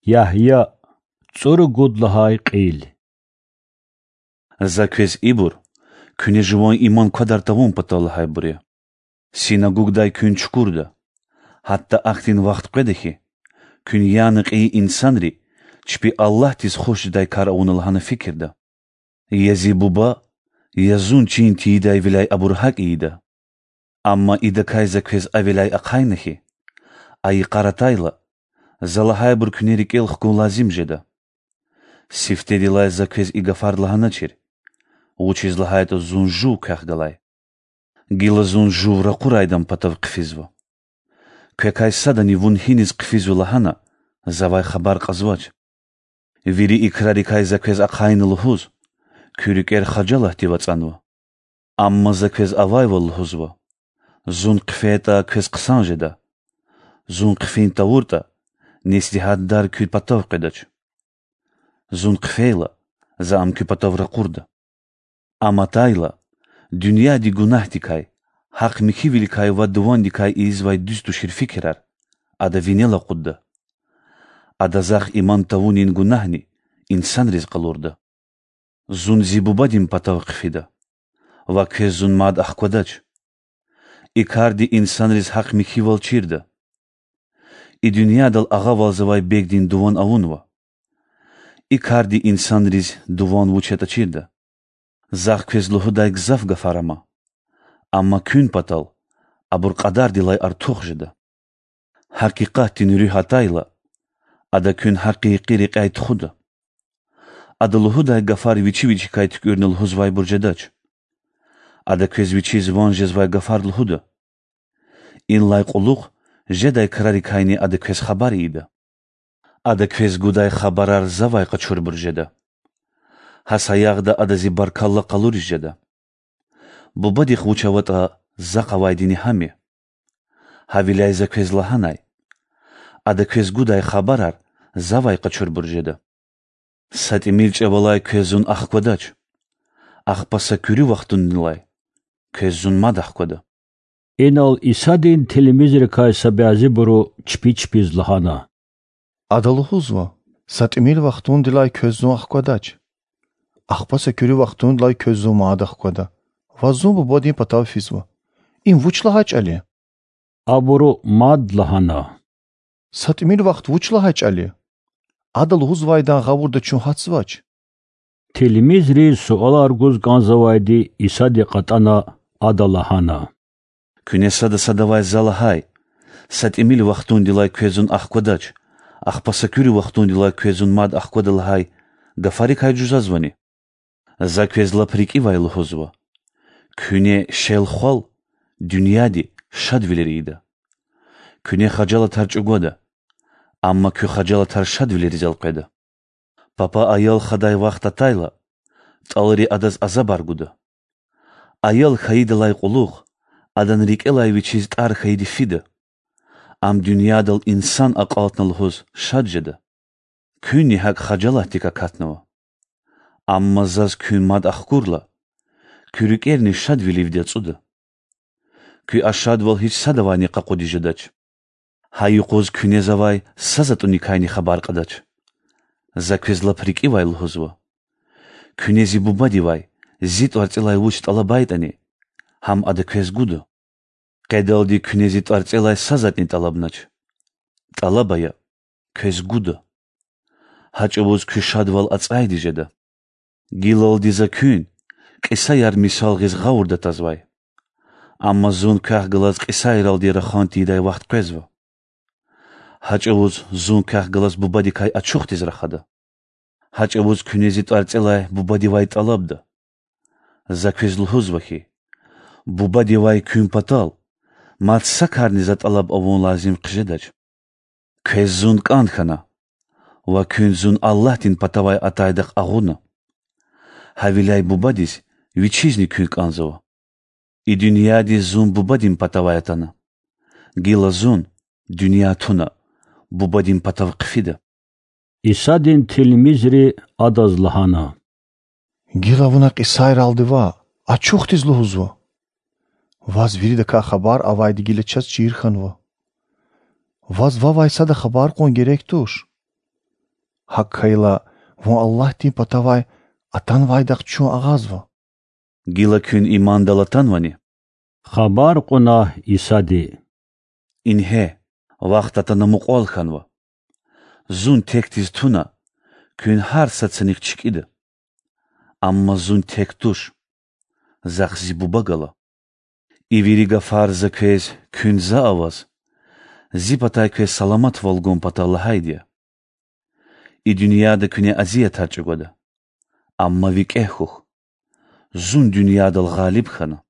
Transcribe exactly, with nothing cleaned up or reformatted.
Ягья, цӀуругуд лагьай кьил. За квез ибур, куьне жуван иман квадар тавун патал лагьайбур я. Синагугдай куьн чукурда, гьатта ахьтин вахт къведа хьи, куьн яна кьейи инсанри чпи Аллагьдиз хуш жедай кар авуна лагьана фикирда. Я зи Буба, я зун чин тийидайвиляй абур гьакӀ ийида. Амма идакай за квез авиляй ахъайна хьи, а йикъар атайла, за лагьайбур куьне рикӀел хкун лазим жеда. Сифтедилай за квез и гафар лагьаначир, вучиз лагьайтӀа зун жув квехъ галай. Гила зун жув ракъурайдан патав хъфизва. Квекай садани вун гьиниз хъфизва лагьана завай хабар кьазвач. Вири и крарикай за квез ахъайна лугьуз, куь рикӀер хажалатдив ацӀанва. Амма за квез авайвал лугьузва: зун хъфейтӀа, квез хъсан жеда. Зун хъфин тавуртӀа, несигьатдар куь патав къведач. Зун хъфейла, за ам куь патав ракъурда. Ам атайла, дуьньяди гунагьдикай, гьахъ михьивиликай ва дувандикай ийизвай дуьз тушир фикирар, ада винел акъудда. Ада захъ иман тавунин гунагьни инсанриз къалурда. Зун зи Бубадин патав хъфида, ва квез зун мад ахквадач. И карди инсанриз гьахъ михьивал чирда. И дуьньядал агъавалзавай бегдин дуван авунва. И карди инсанриз дуван вуч ятӀа чирда. Захъ квез лугьудай гзаф гафар ама, амма куьн патал абур кьадардилай артух жеда. Гьакъикъатдин Руьгь атайла, ада куьн гьакъикъи рекьяй тухуда. Ада лугьудай гафар вичи-вичикай туькӀуьрна лугьузвайбур жедач. Ада квез вичиз ван жезвай гафар лугьуда. Инлай кьулухъ жедай крарикайни ада квез хабар ийида. Ада квез гудай хабарар завай къачурбур жеда. Гьа саягъда ада зи баркалла къалуриз жеда. Бубадихъ вуч аватӀа, захъ авайдини гьам я. Гьавиляй за квез лагьанай: ада квез гудай хабарар завай къачурбур жеда. Са тӀимил чӀавалай квез зун ахквадач, ахпа са куьруь вахтундилай квез зун мад ахквада. Инал Исадин тилмизрикай са бязибуру чпи-чпиз лагьана: Ада лугьузва: Са тӀимил вахтундилай квез зун ахквадач, ахпа са куьруь вахтундилай квез зун мад ахквада. Ваз зун Бубадин патав физва. Им вуч лагьай чӀал я? Абуру мад лагьана: Са тӀимил вахт вуч лагьай чӀал я? Ада лугьузвайдан гъавурда чун гьатзавач. Тилмизриз суалар гуз кӀанзавайди Исади кьатӀана, Ада лагьана: Куьне сада-садавай за лагьай: Са тӀимил вахтундилай квез зун ахквадач, ахпа са куьруь вахтундилай квез зун мад ахквада лагьай гафарикай жузазвани? За квез лап рикӀивай лугьузва: куьне шел-хвал дуьньяди шадвилер ийида. Куьне хажалатар чӀугвада, амма куь хажалатар шадвилериз элкъведа. Папа аял хадай вахт атайла, тӀалри адаз азабар гуда. Аял хьайидалай кьулухъ адан рикӀелай вичиз тӀар хьайиди фида. Ам дуьньядал инсан акьалтна лугьуз шад жеда. Куьнни гьакӀ хажалатдик акатнава. Амма заз куьн мад ахкурла, куь рикӀерни шадвиливди ацӀуда. Куь а шадвал гьич садавайни къакъуди жедач. Гьа юкъуз куьне завай са затӀуникайни хабар кьадач. За квез лап рикӀивай лугьузва: куьне зи Бубадивай зи тӀварцӀелай вуч тӀалабайтӀани, гьам ада квез гуда. Къедалди куьне зи тӀварцӀелай са затӀни тӀалабнач. ТӀалаб ая, квез гуда. Гьа чӀавуз куь шадвал ацӀайди жеда. Гилалди за куьн кьисаяр мисал гъиз гъавурда тазвай. Амма зун квехъ галаз кьисайралди рахан тийидай вахт къвезва. Гьа чӀавуз зун квехъ галаз Бубадикай ачухдиз рахада. Гьа чӀавуз куьне зи тӀварцӀелай Бубадивай тӀалабда. За квез лугьузва хьи, Бубадивай куьн патал мад са карни за тӀалаб авун лазим хъжедач. Квез зун кӀан хьана, ва куьн зун Аллагьдин патавай атайдахъ агъуна. Гьавиляй Бубадиз Вичизни куьн кӀанзава. И дуьньядиз зун Бубадин патавай атана. Гила зун, дуьнья туна, Бубадин патав хъфида. Исадин тилмизри Адаз лагьана: Гила Вуна кьисайралди ваъ, ачухдиз лугьузва. Ваз виридакай хабар авайди гила чаз чир хьанва. Ваз вавай сада хабар кьун герек туш. ГьакӀ хьайила, вун Аллагьдин патавай атанвайдахъ чун агъазва. Гила куьн имандал атанвани? Хабар кьуна Исади: Ингье, вахт атана мукьвал хьанва. Зун текдиз туна, куьн гьар сад санихъ чкӀида. Амма Зун тек туш. Захъ Зи Буба гала. И вири гафар За квез, куьн За аваз, Зи патай квез саламатвал гун патал лагьайди я. И дуьньяда куьне азиятар чӀугвада, амма викӀегь хьухь, Зун дуьньядал гъалиб хьана.